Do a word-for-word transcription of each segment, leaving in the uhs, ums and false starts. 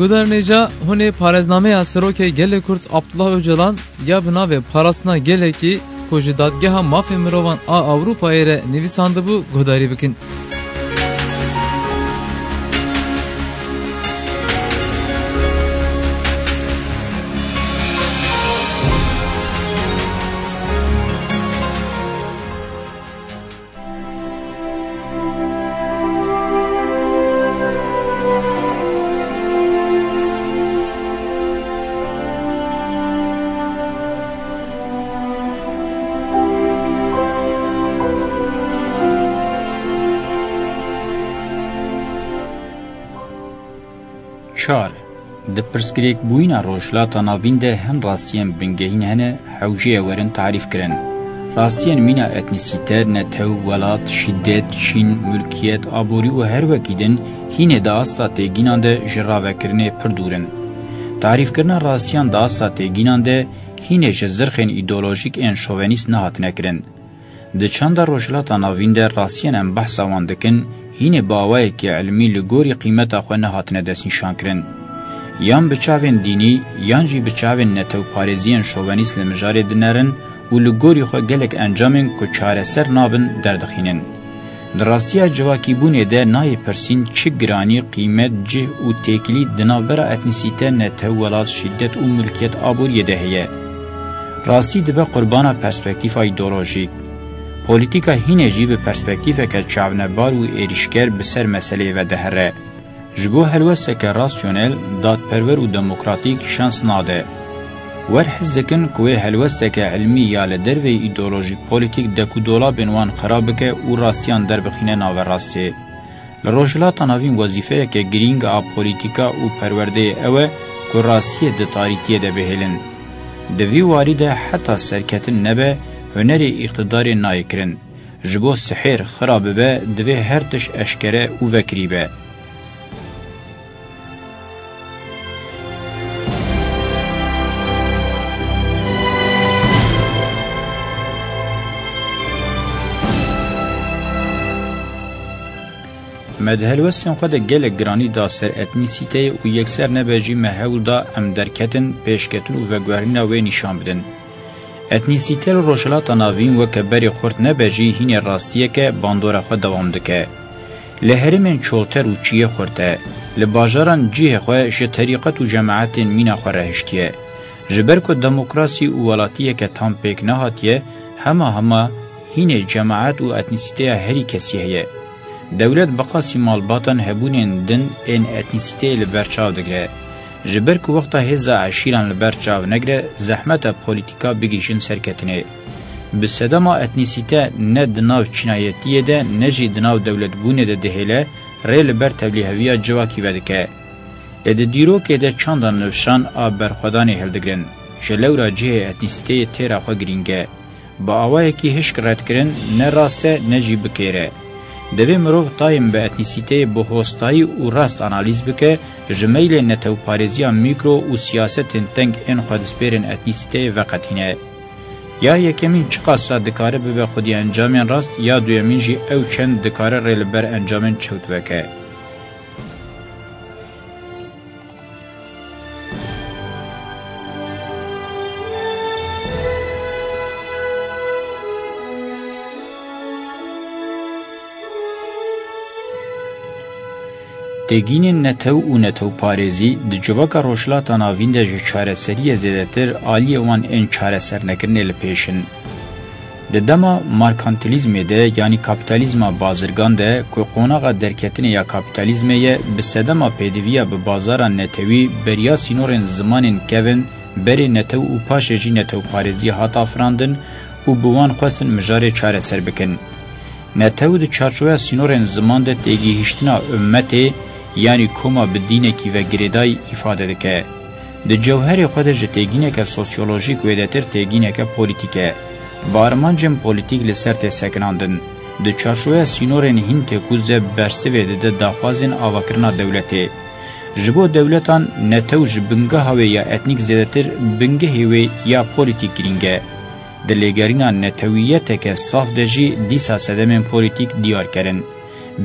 Guhdarên hêja, hûn ê parêznameya Serokê Gelê Kurd Abdullah Ocalan ya bi navê Parastina Gelekî ku ji Dadgeha Mafê Mirovan a Ewropayê re nivîsandibû guhdarî bikin. Çar. Di pirsgirêkbûyîna Rojhilata Navîn de hin rastiyên bingehîn hene, hewce ye werin tarîfkirin. Rastiyên mîna etnîsîte, netew, welat, şîdet, çîn, mulkiyet, aborî û her wekî din hînê di asta têgînan de ji ravekirinê pir dûr in. Tarîfkirina rastiyan di asta têgînan de hînê ji zirxên îdeolojîk ên şovenîst nehatine kirin. Di çanda Rojhilata Navîn de rastiyên em behsa wan dikin, hînê bi awayekî ilmî li gorî qîmeta xwe nehatine destnîşankirin. Yan bi çavên dînî, yan jî bi çavên netewparêziyên şovenîst li mijarê dinerin û li gorî xwe gelek encamên ku çareser nabin derdixînin. Di rastiya civakîbûnê de nayê pirsîn çi giranî, qîmet, cih û têkilî di navbera etnîsîte, netew, welat, şîdet û milkiyet aboriyê de heye. Rastî dibe qurbana perspektîfa îdeolojîk. Polîtîka hînê jî bi perspektîfeke çavnebar û êrîşker bi ser meseleyê ve dihere. Ji bo helwesteke rasyonel, dadperwer û demokratîk şans nade. Wer hez dikin ku wê helwesteke ilmî ya li derveyî îdeolojîk polîtîk dek û dolabên wan xera bike û rastiyan derbixîne naverastê. Li Rojhilata Navîn wezîfeyeke girîng a polîtîka û perwerdeyê ew e ku rastiyê di tarîtiyê de bihêlin. Di vî warî de heta serketin nebe, hunerê îqtidarê nayê kirin. Ji bo sihêr xira bibe, divê her tişt eşkere û vekirî be. Me di helwestên xwe de gelek giranî da ser etnîsîteyê û yekser nebe jî me hewl da em derketin, pêşketin û veguherîna wê nîşan bidin. Etnîsîte li Rojhilata Navîn weke berê xurt nebe jî hînê rastiyeke bandora xwe dewam dike. Li herêmên çolter û çiyê xurt e, li bajaran cihê xwe ji terîqet û cemaetên mîna xwe re hiştiye. Ji ber ku demokrasî û welatiyeke tam pêk nehatiye, hema hema hînê cemaet û etnîsîteya herî kesî heye. Dewlet bi qasî malbatan hebûnên din ên etnîsîteyê li ber çav digire. Ji ber ku wexta hêza eşîran li ber çav negire, zehmet e polîtîka bigihîjin serketinê. Bi sedema etnîsîte ne di nav çînayetiyê de, ne jî di nav dewletbûnê de dihêle, rê li ber tevlîheviya civakî vedike. Lê di dîrokê de çanda nifşan a berxwedanê hildigirin. Ji lewra cihê etnîsîteyê têra xwe girîng e. Bi awayekî hişk redkirin ne rast e, ne jî bi kêr e. Divê mirov tayên bi etnîsîteyê bi hostayî û rast analîz bike, ji meylê netewparêziya mîkro û siyasetên teng ên xwedizpêrên etnîsîteyê veqetîne. Ya yekemîn çiqas re dikare bibe xwedî encamên rast, ya duyemîn jî ew çend dikare rê li ber encamên çewt veke. Têgînên netew û netewparêzî di civaka Rojhilata Navîn de ji çareseriyê zêdetir aliyê wan ên çaresernekirinê li pêş in. Di dema markantilîzmê de, yanî kapîtalîzma bazirgan de, ku qonaxa derketinê ya kapîtalîzmê ye, bi sedema pêdiviya bi bazara netewî, beriya sînorên zimanên kevin, berê netew û paşê jî netewparêzî hat afirandin û bi wan xwestin mijarê çareser bikin. Netew di çarçoveya sînorên ziman de têgihîştina ummetê, yanî koma bi dînekî ve girêdayî îfade dike. Di cewherê xwe de ji têgîneke sosyolojîk wêdetir têgîneke polîtîk e. Bi armancên polîtîk li ser tê sekinandin. Di çarçoveya sînorên hîn têkoz de bersivê dide daxwazên avakirina dewletê. Ji bo dewletan netew ji bingeha wê ya etnîk zêdetir bingehê wê ya polîtîk girîng e. Di lêgerîna netewiyeteke saf de jî dîsa sedemên polîtîk diyarker in.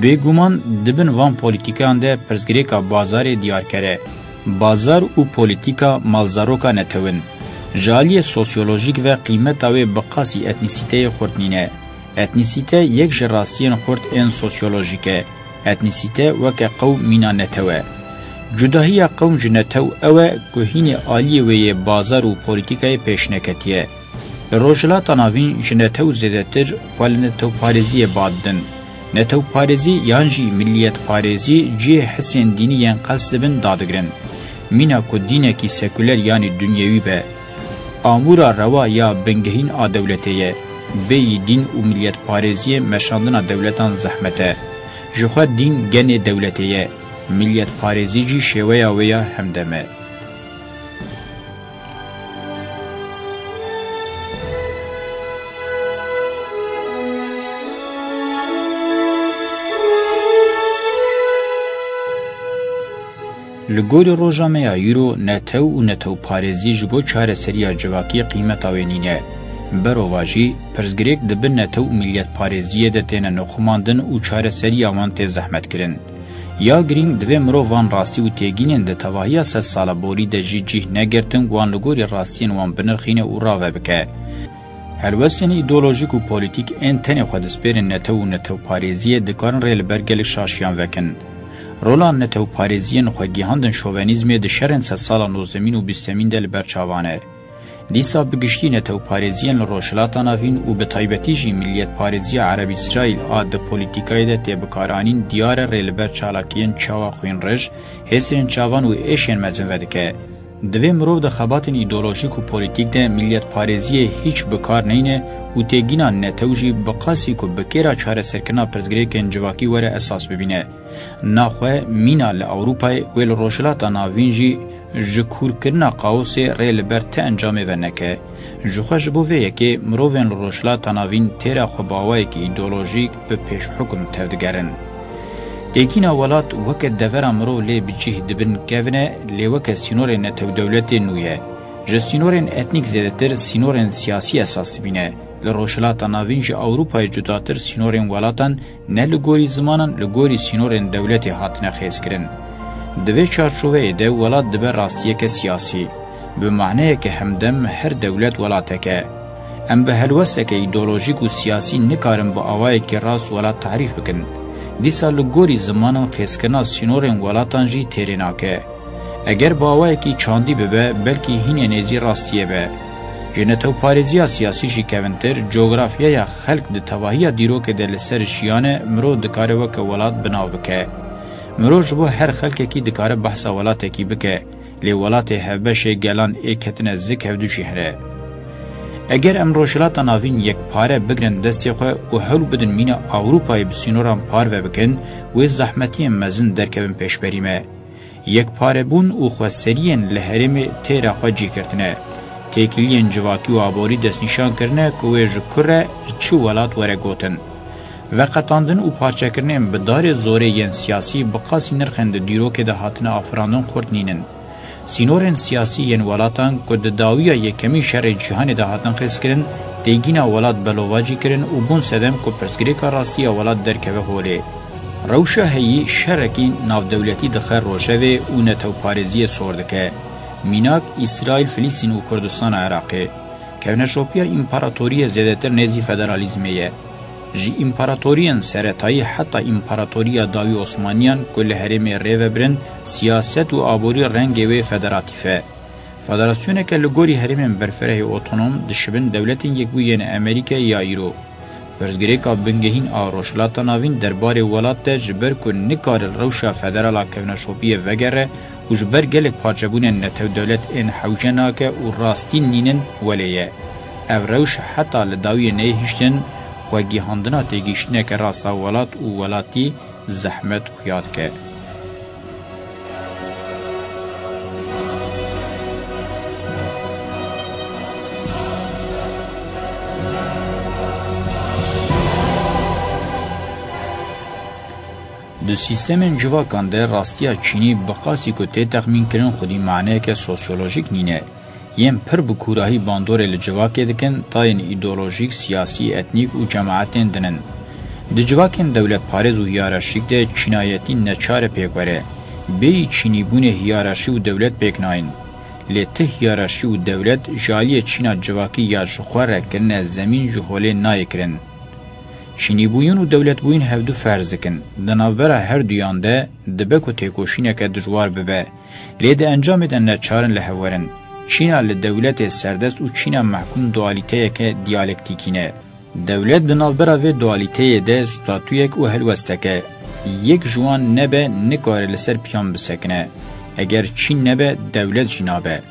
Bêguman di bin van polîtîkan de pirsgirêka bazarê diyarker e. Bazar û polîtîka malzaroka netew in. Ji aliyê sosyolojîk ve qîmeta wê bi qasî etnîsîteyê xurt nîne. Etnîsîte yek ji rastiyên xurt ên sosyolojîk e. Etnîsîte weke qewm mîna netew e. Cudahiya qewm ji netew ew e ku hînê aliyê wê yê bazar û polîtîkayê pêş neketiye. Li Rojhilata Navîn ji netew zêdetir xwe li netewparêziyê ba didin. Netewparêzî yan jî miliyetparêzî cihê hisên dînî yên qels dibin dadigirin. Mîna ku dînekî sekuler yanî dunyewî be. Amûra rewa ya bingehîn a dewletê ye. Bêyî dîn û miliyetparêziyê meşandina dewletan zehmet e. Ji xwe dîn genê dewletê ye. Miliyetparêzî jî şêweya wê ya hemdem e. Li gorî roja me ya îro, netew û netewparêzî ji bo çareseriya civakî qîmeta wê nîne. Berovajî, pirsgirêk di bin netew û miliyetparêziyê de têne nixumandin û çareseriya wan tê zehmetkirin. Ya girîng, divê mirov van rastî û têgînên di tevahiya sedsala borî de jî cih negirtin, wan li gorî rastiyên wan binirxîne û rave bike. Helwestên îdeolojîk û polîtîk ên tenê xwe dispêrin netew û netewparêziyê dikarin rê li ber gelek şaşiyan vekin. Rola netewparêziyên xwe gihandin şovenîzmê di şerên sedsala nozdemîn û bîstemîn de li ber çavan e. Dîsa bi giştî netewparêziyên li Rojhilata Navîn û bi taybetî jî miliyetparêziya Ereb-Îsraîl a di polîtîkayê de tê bikaranîn diyar e rê li ber çalakiyên çawa xwînrij, hêsên çavan û êşên mezin vedike. Divê mirov di xebatên îdeolojîk û polîtîk de miliyetparêziyê hîç bi kar neyne û têgîna netew jî bi qasî ku bi kêra çareserkirina pirsgirêkên civakî were esas bibîne. Naxwe mîna li Ewropayê wê li Rojhilata Navîn jî ji kûrkirina kaosê rê li ber ti encamê ve neke. Jixwe ji bo vê yekê mirovên li Rojhilata Navîn têra xwe bi awayekî îdeolojîk bi pêşhukum tevdigerin. Têkîna welat weke devera mirov lê bi cih dibin kevin e, lê weke sînorên netewdewletê nû ye. Ji sînorên etnîk zêdetir sînorên siyasî esas dibîne. Li Rojhilata Navîn ji Ewropayê cudatir sînorên welatan ne li gorî zimanan, li gorî sînorên dewletê hatine xêzkirin. Di vê çarçoveyê de welat dibe rastiyeke siyasî. Bi maneyeke hemdem her dewlet welatek e. Em bi helwesteke îdeolojîk û siyasî nikarin bi awayekî rast welat tarîf bikin. Dîsa li gorî zimanan xêzkirina sînorên welatan jî têrê nake. Eger bi awayekî çandî bibe, belkî hînê nêzî rastiyê be. Ji netewparêziya siyasî jî kevintir, cografyaya xelk di tevahiya dîrokê de li ser jiyan e, mirov dikare weke welat bi nav bike. Mirov ji bo her xelkekî dikare behsa welatekî bike, lê welatê hevbeşê gelan ê ketine zik hevdu jî hene. Eger em Rojhilata Navîn yekpare bigrin destê xwe û hewl bidin mîna Ewropayê bi sînoran parve bikin, wê zehmetiyên mezin derkevin pêşberî me. Yekparebûn û xweseriyên li herêmê têra xwe cih girtine. Têkiliyên civakî û aborî destnîşan kirine ku wê ji ku re, ji çi welat were gotin. Veqetandin û parçekirinên bi darê zorê yên siyasî bi qasî nirxên di dîrokê de hatine afirandin xurt nînin. Sînorên siyasî yên welatan ku di dawiya yekemîn şerê cîhanê de hatin xêzkirin, têgîna welat belovajî kirin û bûn sedem ku pirsgirêka rastî ya welat derkeve holê. Rewşa heyî şerekî navdewletî dixe rojevê û netewparêziyê sor dike. Mînak, Îsraîl, Filîstîn û Kurdistana Iraqê. Kevneşopiya împaratoriyê zêdetir nêzî federalîzmê ye. Ji împaratoriyên seretayî heta împaratoriya dawî Osmaniyan ku li herêmê rê ve birin, siyaset û aborî rengê wê federatîf e. Federasyoneke li gorî herêmên berfirehê otonom dişibin Dewletên Yekbûyî yên Amerîkayê ya îro. Pirsgirêka bingehîn a Rojhilata Navîn derbarê welat de ji ber ku nikare li rewşa federal a kevneşopiyê vegere û ji ber gelek parçebûnên netewdewlet ên hewce nake û rastî nînin welê ye. Ev rewş heta li dawiyê neyê hiştin, xwegihandina têgihiştineke rast a welat û welatî zehmet xuya dike. Di sîstemên civakan de rastiya çînî bi qasî ku tê texmînkirin xwedî maneyeke sosyolojîk nîne. Yên pir bi kûrahî bandorê li civakê dikin, tayên îdeolojîk, siyasî, etnîk û cemaetên din in. Di civakên dewletparêz û hiyerarşîk de çînayetî neçar e pêk were. Bêyî çînîbûnê hiyerarşî û dewlet pêk nayên. Lê ti hiyerarşî û dewlet ji aliyê çîna civakî ya ji xwe re kirine zemîn ji holê nayê kirin. Çînîbûyîn û dewletbûyîn hevdu ferz dikin. Di navbera her duyan de dibe ku têkoşîneke dijwar bibe. Lê di encamê de neçar in li hev werin. Çîna li dewletê serdest û çîna mehkûm dualîteyeke diyalektîkî ne. Dewlet di navbera vê dualîteyê de statuyek û helwesteke. Yek ji wan nebe nikare li ser piyan bisekine. Eger çîn nebe, dewlet jî nabe.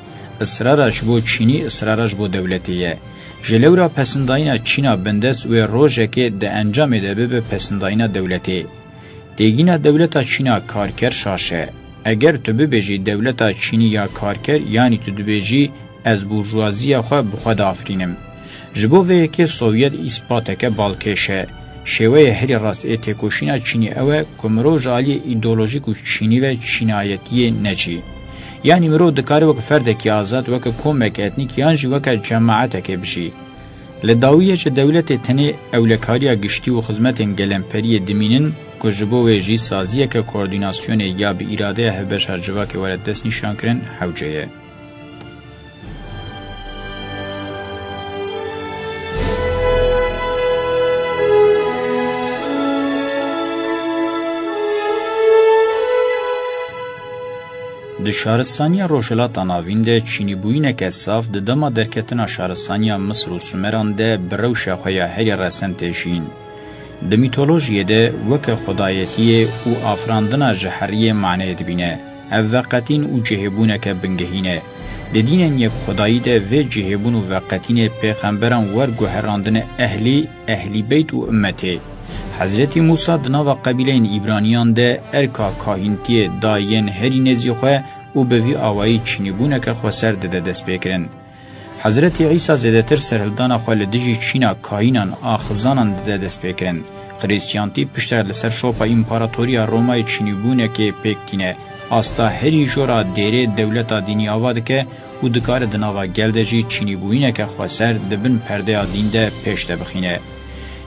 Israra ji bo çînî, israra ji bo dewletê ye. Ji lewra pesindayîna çîna bindest wê rojekê di encamê de bibe pesindayîna dewletê. Têgîna dewleta çîna karker şaş e. Eger tu bibêjî dewleta çînî ya karker, yanî tu dibêjî ez burjuwaziya xwe bi xwe diafirînim. Ji bo vê yekê Sovyet îspateke balkêş e. Şêweyê herî rast ê têkoşîna çînî ew e ku mirov ji aliyê îdeolojîk û çînî ve çînayetiyê neçî. Yanî mirov dikare weke ferdekî azad, weke komeke etnîk yan jî weke cemaetekê bijî. Li dawiyê ji dewletê tenê ewlekariya giştî û xizmetên gelemperiyê dimînin ku ji bo wê jî saziyeke koordînasyonê ya bi îradeya hevbeşa civakê were destnîşankirin hewce ye. Di şaristaniya Rojhilata Navîn de çînîbûyîneke saf di dema derketina şaristaniya Misir û Sumeran de bi rewşa xwe ya herî resen tê jiyîn. Di mîtolojiyê de weke xwedayetiyê û afirandina ji heriyê maneyê dibîne. Ev veqetîn û cihêbûneke bingehîn e. Di dînên yekxwedayî de vê cihêbûn û veqetînê pêxemberan wer guherandine ehlî, ehlî beyt û ummetê. Hezretî Mûsa di nava qebîleyên Îbraniyan de erka kahîntiyê da yên herî nêzî xwe û bi vî awayî çînîbûneke xweser dide destpêkirin. Hezretî Îsa zêdetir serhildana xwe li dijî çîna kahînan a xizanan dide destpêkirin. Xirîstiyantî piştre li ser şopa împaratoriya Romayê çînîbûnekê pêk tîne. Asta herî jora dêrê dewleta dînî ava dike û dikare di nava gel de jî çînîbûyîneke xweser di bin perdeya dîn de pêş de bixîne.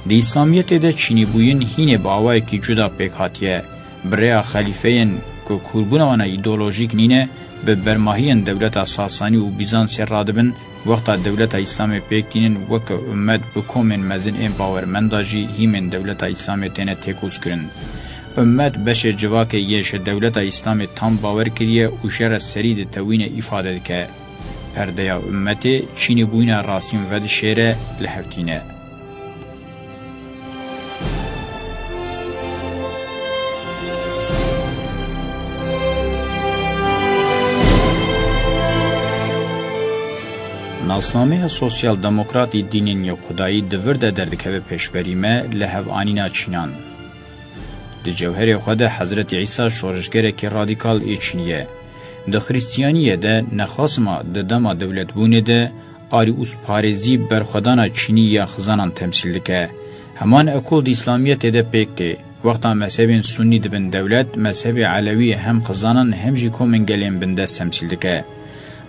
Di Îslamiyetê de çînîbûyîn hînê bi awayekî cuda pêk hatiye. Bi rêya xelîfeyên ku kûrbûna wan a îdeolojîk nîne, bi bermahiyên dewleta Sasanî û Bîzansê radibin, wexta dewleta Îslamê pêk tînin weke ummet bi komên mezin ên bawermenda jî hîmên dewleta Îslamê têne têkoşkirin. Ummet beşê civakê yê ji dewleta Îslamê tam bawer kiriye û jê re serî ditewîne îfade dike. Perdeya ummetê çînîbûyîna rastîn vedişêre, li hev tîne. Nasnameya Sosyal Demokratî Dînên Yekxwedayî di vir de derdikeve pêşberî me, li hev anîna çînan. Di cewherê xwe de Hezretî Îsa şorişgerekî radîkal ê çînî ye. Di Xrîstiyaniyê de nexasima di dema dewletbûnê de arî û parêzî berxwedana çînî ya xizanan temsîl dike. Heman ekol di Îslamiyetê de pêk tê. Wexta mezhebên Sunnî dibin dewlet, mezhebê Elewî hem xizanan hem jî komên gelên bindest temsîl dike.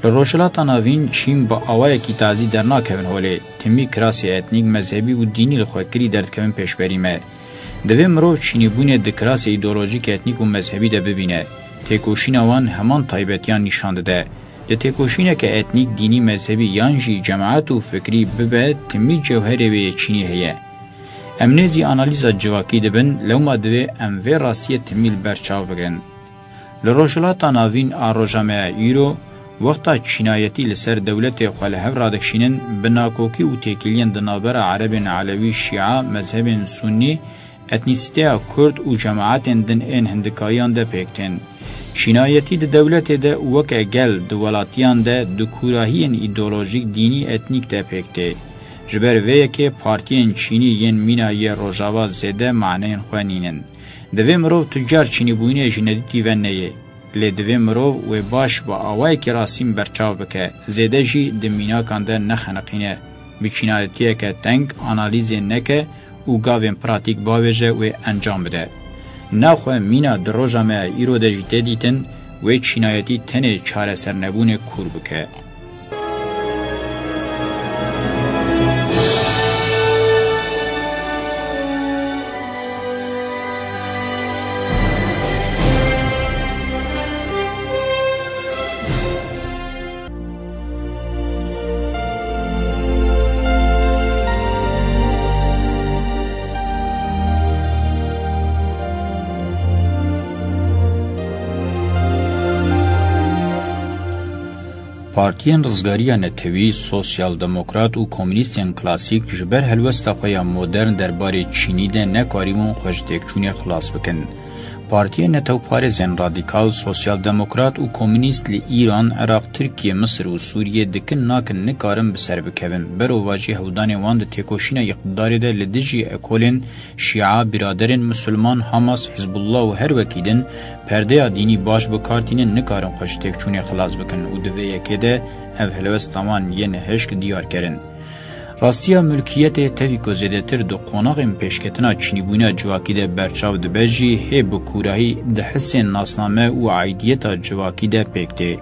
Li Rojhilata Navîn çîn bi awayekî tazî dernakevin holê. Timî kirasê etnîk, mezhebî û dînî li xwe kirî derdikevin pêşberî me. Divê mirov çînîbûnê di kirasê îdeolojîk, etnîk û mezhebî de bibîne. Têkoşîna wan heman taybetiyan nîşan dide. Di têkoşîneke etnîk, dînî, mezhebî yan jî cemaet û fikrî bibe, timî cewherê wê yê çînî heye. Em nêzî analîza civakî dibin, lewma divê em vê rastiyê timî li ber çav bigirin. Li Rojhilata Navîn a roja me ya îro, wexta çînayetî li ser dewletê xwe li hev radikişînin, bi nakokî û têkiliyên di navbera erebên elewî, şîa, mezhebên sunnî, etnîsîteya kurd û cemaetên din ên hindikariyan de pêk tên. Çînayetî di dewletê de weke gel di welatiyan de di kûrahiyên îdeolojîk, dînî, etnîk de pêk tê. Ji ber vê yekê partiyên çînî yên mîna yê Rojava zêde maneyên xwe nînin. Divê mirov tu car çînîbûyînê ji nedîtî ve neyê. Lê divê mirov wê baş bi awayekî rastîn berçav bike, zêde jî di mînakan de nexeniqîne, bi çînayetiyeke teng analîzê neke û gavên pratîk bavêje wê encam bide. Naxwe mîna di roja me ya îro de jî tê dîtin, wê çînayetî tenê çaresernebûnê kûr bike. Partiyên Rizgariya Netewî, Sosyal Demokrat û Komûnîstên Klasîk ji ber helwesta xwe ya modern derbarê çînî de nekarîbûn xwe ji têkçûnê xilas bikin. Partiyên netewparêzên radîkal, sosyal demokrat û komûnîst li Îran, Iraq, Tirkiye, Misir û Sûriye dikin nakin nikarin bi ser bikevin. Berovajî hewldanên wan di têkoşîna îqtidarê de li dijî ekolên Şîa, biraderên Misilman, Hamas, Hizbullah û her wekî din perdeya dînî baş bi kar tînin, nikarin xwe ji têkçûnê xilas bikin û di vê yekê de ev helwesta wan yên hişk diyar kirin. Rastiya milkiyetê tevî ku zêdetir di qonaxên pêşketina çînîbûna civakî de berçav dibe jî hê bi kûrahî di hisên nasname û aîdiyeta civakî de pêk tê.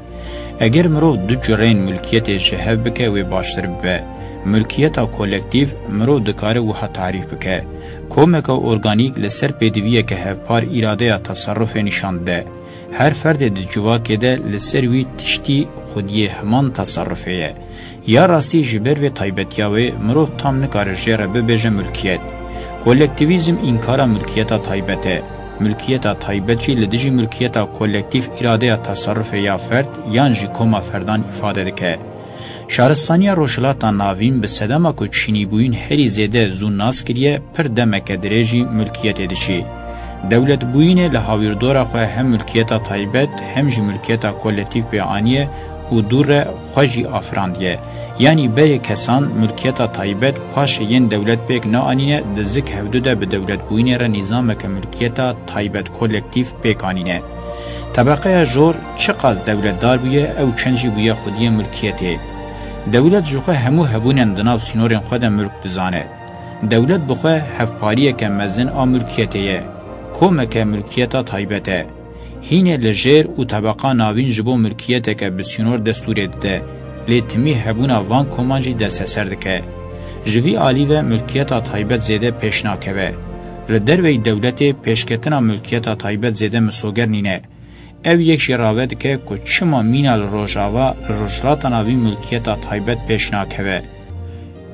Eger mirov du cureyên milkiyetê ji hev bike wê baştir bibe. Milkiyeta kolektîf mirov dikare wiha tarîf bike. Komeke organîk li ser pêdiviyeke hevpar îradeya teserrufê nîşan dide. Her ferdê di civakê de li ser wî tiştî xwediyê heman teserrufê ye. Ya rastî ji ber vê taybetiya wê mirov tam nikare jê re bibêje milkiyet. Kolektîvîzm înkara milkiyeta taybet e. Milkiyeta taybet jî li dijî milkiyeta kolektîf îradeya teserrufê ya ferd yan jî koma ferdan îfade dike. Şaristaniya Rojhilata Navîn bi sedema ku çînîbûyîn herî zêde zû nas kiriye, pir demeke dirêj jî milkiyetê diçî. Dewletbûyînê li hawîrdora xwe hem milkiyeta taybet hem jî milkiyeta kolektîf pê aniye û dû re xwe jî afirandiye. Yanî berê kesan milkiyeta taybet paşê yên dewlet pêk naanîne, di zik hevdu de bi dewletbûyînê re nîzameke milkiyeta taybet kolektîf pêk anîne. Tebeqeya jor çiqas dewletdar bûye, ew çend jî bûye xwediyê milkiyetê. Dewlet ji xwe hemû hebûnên di nav sînorên xwe de milk dizane. Dewlet bi xwe hevpariyeke mezin a milkiyetê ye. Komeke milkiyeta taybet e. Hînê li jêr û tebeqa navîn ji bo milkiyeteke bi sînor destûrê dide, lê timî hebûna van koman jî desteser dike. Ji vî alî ve milkiyeta taybet zêde pêş nakeve. Li derveyî dewletê pêşketina milkiyeta taybet zêde misoger nîne. Ev yek jî rave dike ku çima mîna li Rojava, li Rojhilata Navîn milkiyeta taybet pêş nakeve.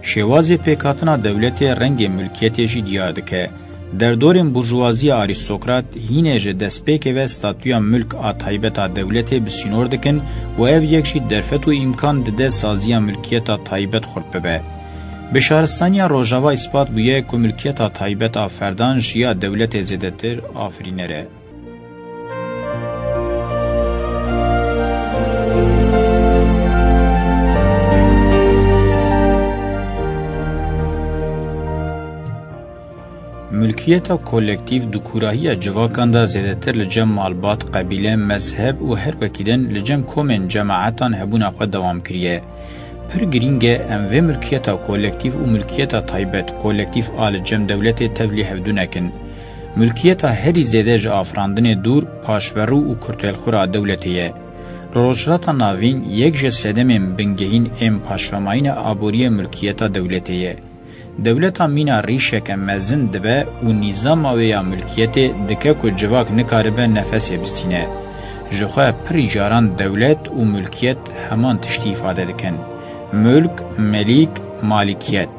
Şêwazê pêkhatina dewletê rengê milkiyetê jî diyar dike. Derdorên burjuwaziya arîstokrat hînê ji destpêkê ve statûya milk a taybet a dewletê bi sînor dikin û ev yek jî derfet û îmkan dide saziya milkiyeta taybet xurt bibe. Bi şaristaniya Rojava îspat bûye ku milkiyeta taybet a ferdan ji ya dewletê zêdetir afirîner e. Milkiyeta kolektîf di kûrahiya civakan de zêdetir li cem malbat, qebîle, mezheb û her wekî din li cem komên cemaetan hebûna xwe dewam kiriye. Pir girîng e em vê milkiyeta kolektîf û milkiyeta taybet, kolektîf a li cem dewletê tevlî hevdû nekin. Milkiyeta herî zêde ji afirandinê dûr, paşverû û kurtelxwir a dewletê ye. Li Rojhilata Navîn yek ji sedemên bingehîn ên paşvemayîna aboriyê milkiyeta dewletê ye. Dewleta mîna rîşeke mezin dibe û nîzama wê ya milkiyetê dike ku civak nikaribe nefesê bistîne. Ji xwe pirî caran dewlet û milkiyet heman tiştî îfade dikin. Mulk, melîk, malîkiyet.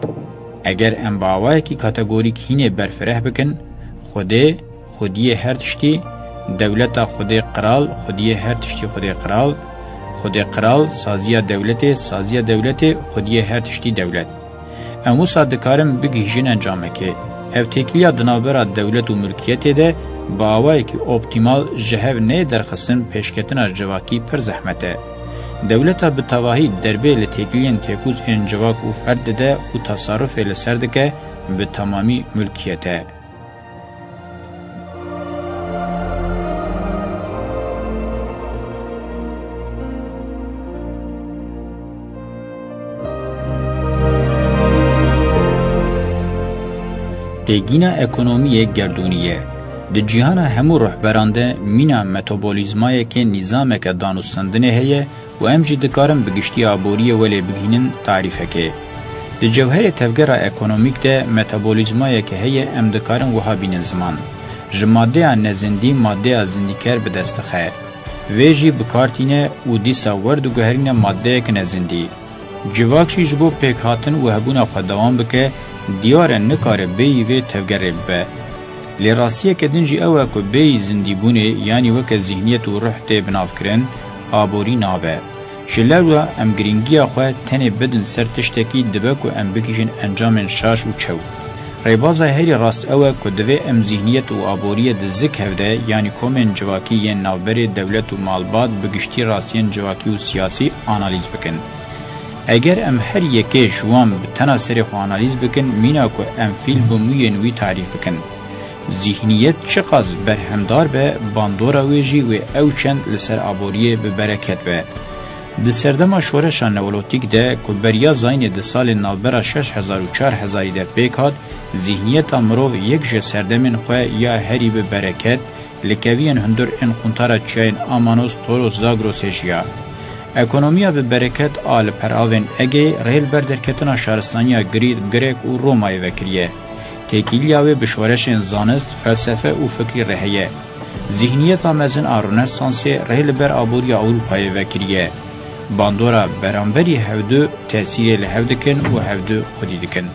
Eger em bi awayekî kategorîk hînê berfireh bikin, Xwedê, xwediyê her tiştî, dewleta Xwedê, qral, xwediyê her tiştî Xwedê, qral, Xwedê, qral, saziya dewletê, saziya dewletê, xwediyê her tiştî, dewlet. Em wisa dikarin bigihîjin encamekê. Ev têkiliya di navbera dewlet û milkiyetê de bi awayekî optîmal ji hev neyê derxistin, pêşketina civakî pir zehmet e. Dewleta bi tevahî derbê li têkiliyên têkûz ên civak û ferd dide û tesarufê li ser dike, bi temamî milkiyet e. Têgîna ekonomiyê gerdûnî ye. Di cîhana hemû ruhberan de mîna metabolîzmayeke nîzameke danûstendinê heye û em jî dikarin bi giştî aboriyê welê bigihînin tarîfekê. Di cewherê tevgera ekonomîk de metabolîzmayeke heye em dikarin wiha bînin ziman. Ji maddeya nezindî maddeya zindîker bi dest dixe. Vê jî bi kar tîne û dîsa werdiguherîne maddeyek nezindî. Civak jî ji bo pêkhatin û hebûna xwe dewam bike, diyar e nikare bêyî vê tevgerê bibe. Lê rastiyeke din jî ew e ku bêyî zindîbûnê, yanî weke zîhniyet û ruh tê binavkirin, aborî nabe. Ji lewra em girîngiya xwe tenê bidin ser tiştekî, dibe ku em bigihîjin encamên şaş û çew. Rêbaza herî rast ew e ku divê em zîhniyet û aboriyê di zik hev de, yanî komên civakî yên navberê dewlet û malbat, bi giştî rastiyên civakî û siyasî analîz bikin. Eger em her yekê ji wan bi tena serê xwe analîz bikin, mîna ku em fîl bi mûyên wî tarîf bikin. Zîhniyet çiqas berhemdar be, bandora wê jî wê ew çend li ser aboriyê bi bereket be. Di serdema şoreşa neolotîk de ku beriya zayînê di salên navbera şeş hezar û çar hezarî de pêk hat, zîhniyeta mirov yek ji serdemên xwe ya herî bi bereket, li keviyên hundir ên quntara çiyayên Amanos, Toros, Zagrosê jiya. Ekonomiya bi bereket a li peravên Egeyê rê li ber derketina şaristaniya Grîk, Grek û Romayê vekiriye. Têkiliya wê bi şoreşên zanist, felsefe û fikrî re heye. Zîhniyeta mezin a Rönesansê rê li ber aboriya Ewropayê vekiriye. Bandora beramberî hevdu tesîrê li hev dikin û hevdu xwedî dikin.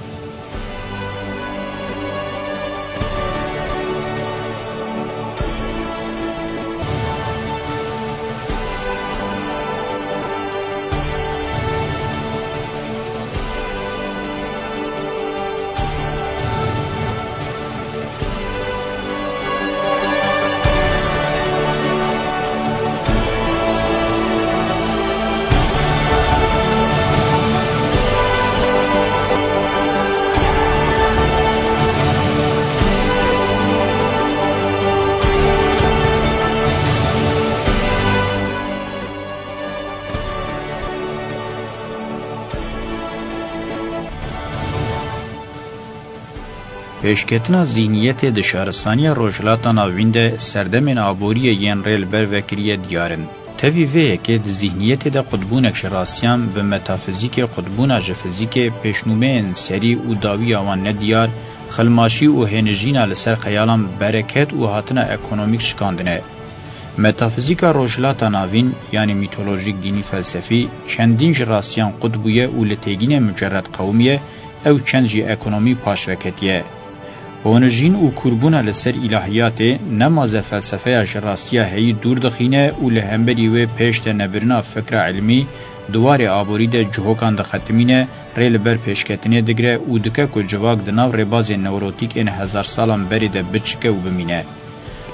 Pêşketina zîhniyetê di şaristaniya Rojhilata Navîn de serdemên aboriyê yên rê li ber vekiriye diyar in. Tevî vê yekê di zîhniyetê de qutbûnek ji rastiyan bi metafizîkê, qutbûna ji fizîkê, pêşnûmeyên serî û dawiya wan nediyar, xilmaşî û hênijîna li ser xeyalan, bereket û hatina ekonomîk şikandine. Metafizîka Rojhilata Navîn, yanî mîtolojîk, dînî, felsefî, çendîn ji rastiyan qut bûye û li têgînê mucerred qewimiye, ew çend jî ekonomî paş veketiye. Honijîn û kûrbûna li ser îlahiyatê, nemaze felsefeya ji rastiya heyî dûr dixîne û li hemberî wê pêş de nebirina fikra ilmî di warê aborî de cihokan dixetimîne, rê li ber pêşketinê digire û dike ku civak di nav rêbazên neolotîk ên hezar salan berê de biçike û bimîne.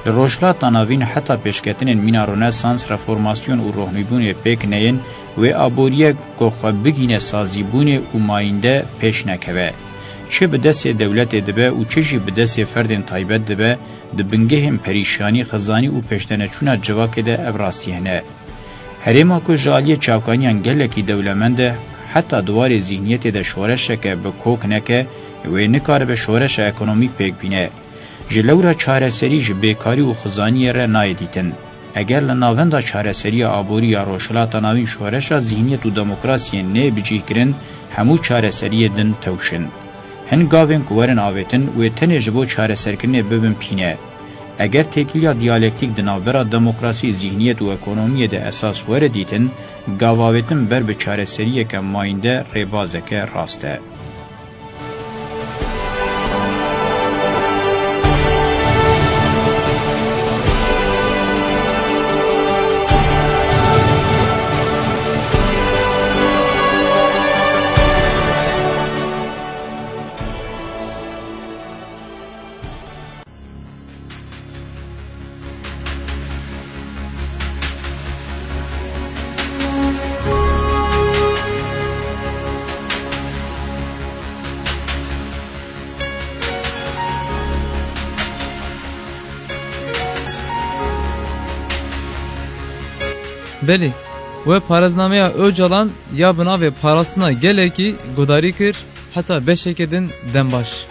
Li Rojhilata Navîn heta pêşketinên mîna Rönesans, reformasyon û rohnîbûnê pêk neyên, wê aboriyek ku xwe bigîne sazîbûnê û mayînde pêş nekeve. Çi bi destê dewletê dibe û çi jî bi destê ferdên taybet dibe, di bingehên perîşanî, xizanî û pêşdeneçûna civakê de ev rastî hene. Herêma ku ji aliyê çavkaniyan gelekî dewlemend e, heta di warê zîhniyetê de şoreşeke bi kok neke, wê nikaribe şoreşa ekonomîk pêk bîne. Ji lewra çareserî ji bêkarî û xizaniyê re nayê dîtin. Eger li navenda çareseriya aborî ya Rojhilata Navîn şoreşa zîhniyet û demokrasiyê neyê bicîhkirin, hemû çareseriyê din tewşin. Hin gavên ku werin avêtin, wê tenê ji bo çareserkirinê bibin pîne. Eger têkiliya diyalektîk di navbera demokrasî, zîhniyet û ekonomiyê de esas were dîtin, gav avêtin ber bi çareseriyeke mayînde rêbazeke rast e. Belê, we parêznameya Ocalan ya bi navê Parastina Gelekî guhdarî kir, heta beşeke din dem baş.